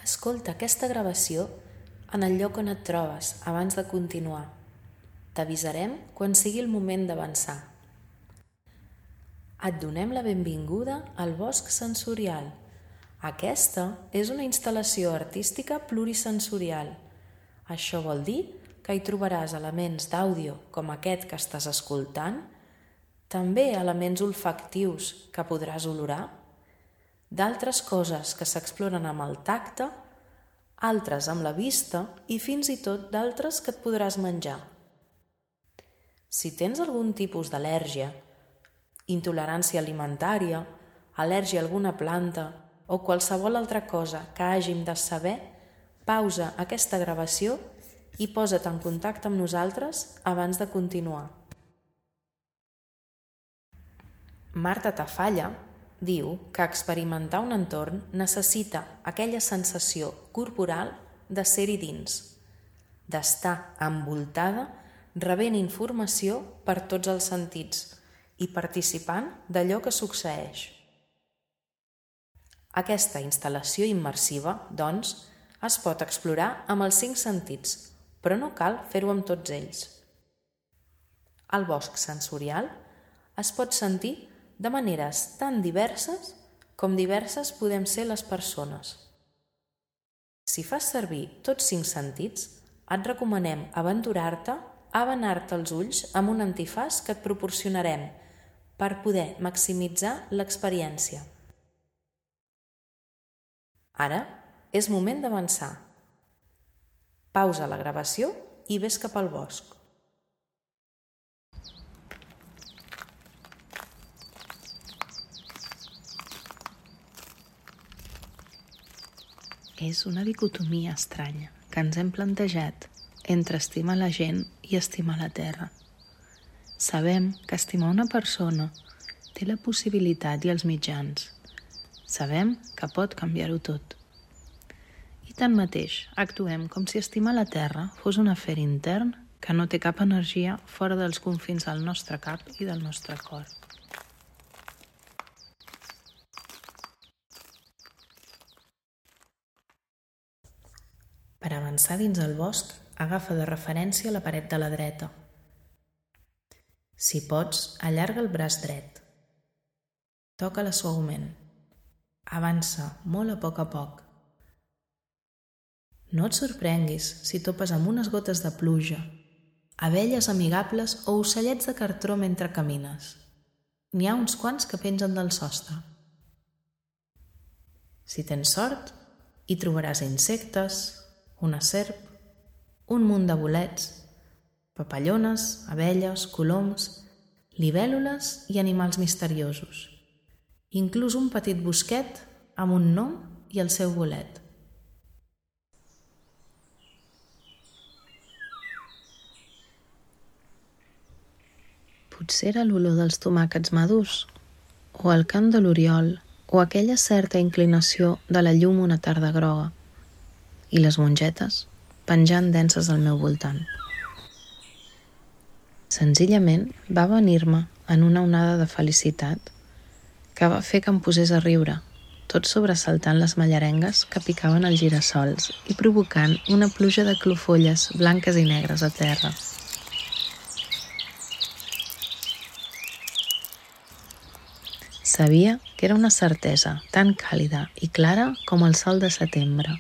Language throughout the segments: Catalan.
Escolta aquesta gravació en el lloc on et trobes abans de continuar. T'avisarem quan sigui el moment d'avançar. Et donem la benvinguda al Bosc Sensorial. Aquesta és una instal·lació artística plurisensorial. Això vol dir que hi trobaràs elements d'àudio com aquest que estàs escoltant, també elements olfactius que podràs olorar, d'altres coses que s'exploren amb el tacte, altres amb la vista i fins i tot d'altres que et podràs menjar. Si tens algun tipus d'al·lèrgia, intolerància alimentària, al·lèrgia a alguna planta o qualsevol altra cosa que hàgim de saber, pausa aquesta gravació i posa't en contacte amb nosaltres abans de continuar. Marta Tafalla diu que experimentar un entorn necessita aquella sensació corporal de ser-hi dins, d'estar envoltada, rebent informació per tots els sentits i participant d'allò que succeeix. Aquesta instal·lació immersiva, doncs, es pot explorar amb els 5 sentits, però no cal fer-ho amb tots ells. El bosc sensorial es pot sentir de maneres tan diverses com diverses podem ser les persones. Si fas servir tots 5 sentits, et recomanem aventurar-te a benar-te els ulls amb un antifaç que et proporcionarem per poder maximitzar l'experiència. Ara és moment d'avançar. Pausa la gravació i ves cap al bosc. És una dicotomia estranya que ens hem plantejat entre estimar la gent i estimar la terra. Sabem que estimar una persona té la possibilitat i els mitjans. Sabem que pot canviar-ho tot. I tanmateix, actuem com si estimar la terra fos un afer intern que no té cap energia fora dels confins del nostre cap i del nostre cor. Per avançar dins el bosc, agafa de referència la paret de la dreta. Si pots, allarga el braç dret. Toca-la suaument. Avança molt a poc. No et sorprenguis si topes amb unes gotes de pluja, abelles amigables o ocellets de cartró mentre camines. N'hi ha uns quants que pengen del sostre. Si tens sort, hi trobaràs insectes, una serp, un munt de bolets, papallones, abelles, coloms, libèl·lules i animals misteriosos. Inclús un petit bosquet amb un nom i el seu bolet. Potser era l'olor dels tomàquets madurs, o el cant de l'oriol, o aquella certa inclinació de la llum una tarda groga, i les mongetes penjant denses al meu voltant. Senzillament va venir-me en una onada de felicitat que va fer que em posés a riure, tot sobresaltant les mallarengues que picaven els girassols i provocant una pluja de clofolles blanques i negres a terra. Sabia que era una certesa tan càlida i clara com el sol de setembre.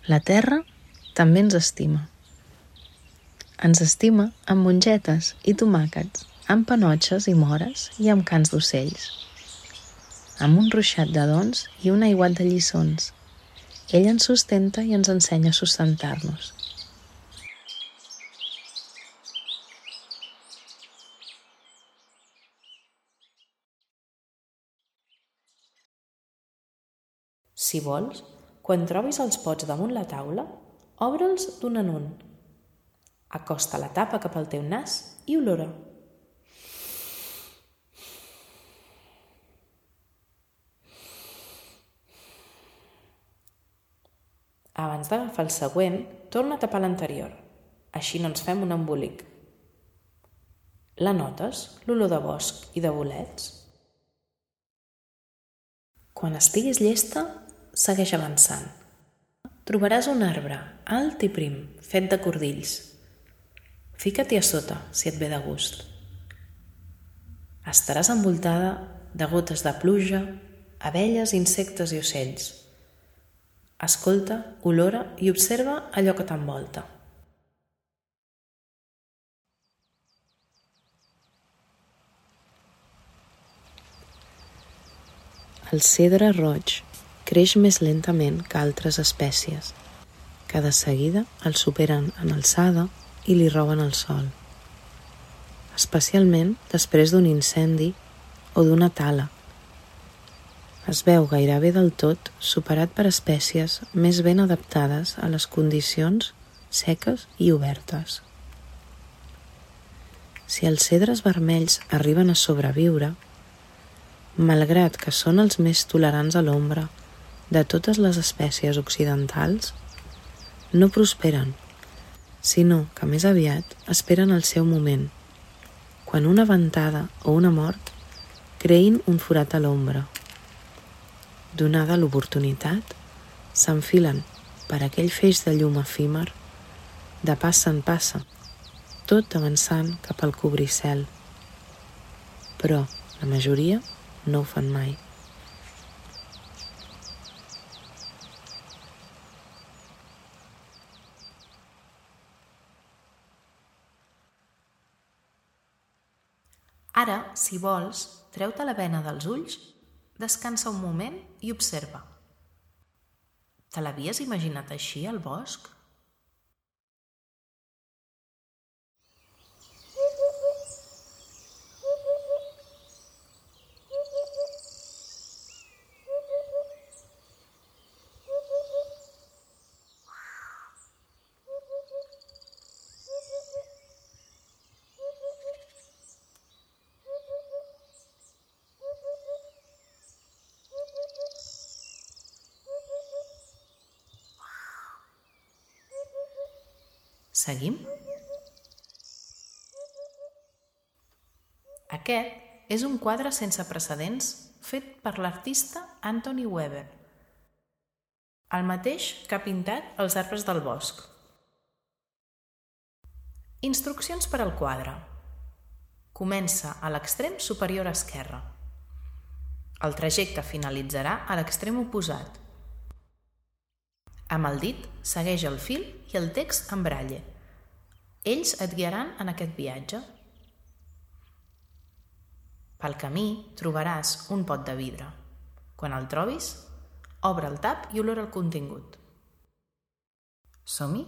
La terra també ens estima. Ens estima amb mongetes i tomàquets, amb panotxes i mores i amb cants d'ocells. Amb un ruixat de dons i un aiguat de lliçons. Ell ens sustenta i ens ensenya a sustentar-nos. Si vols, quan trobis els pots damunt la taula, obre'ls d'un en un. Acosta la tapa cap al teu nas i olora. Abans d'agafar el següent, torna a tapar l'anterior. Així no ens fem un embolic. La notes, l'olor de bosc i de bolets? Quan estiguis llesta, segueix avançant. trobaràs un arbre alt i prim, fet de cordills. Fica-t'hi a sota, si et ve de gust. Estaràs envoltada de gotes de pluja, abelles, insectes i ocells. Escolta, olora i observa allò que t'envolta. El cedre roig creix més lentament que altres espècies, que de seguida el superen en alçada i li roben el sol. Especialment després d'un incendi o d'una tala. Es veu gairebé del tot superat per espècies més ben adaptades a les condicions seques i obertes. Si els cedres vermells arriben a sobreviure, malgrat que són els més tolerants a l'ombra de totes les espècies occidentals, no prosperen, sinó que més aviat esperen el seu moment, quan una ventada o una mort creïn un forat a l'ombra. Donada l'oportunitat, s'enfilen per aquell feix de llum efímer, de passa en passa, tot avançant cap al cobricel. Però la majoria no ho fan mai. Ara, si vols, treu-te la bena dels ulls, descansa un moment i observa. Te l'havies imaginat així, al bosc? Seguim? Aquest és un quadre sense precedents fet per l'artista Anthony Weber, el mateix que ha pintat els arbres del bosc. Instruccions per al quadre. Comença a l'extrem superior esquerre. El trajecte finalitzarà a l'extrem oposat. Amb el dit, segueix el fil i el text en braille. Ells et guiaran en aquest viatge. Pel camí trobaràs un pot de vidre. Quan el trobis, obre el tap i olora el contingut. Som-hi?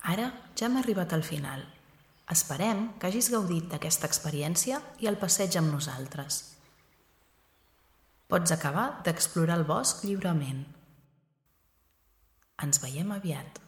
Ara ja hem arribat al final. Esperem que hagis gaudit d'aquesta experiència i el passeig amb nosaltres. Pots acabar d'explorar el bosc lliurement. Ens veiem aviat.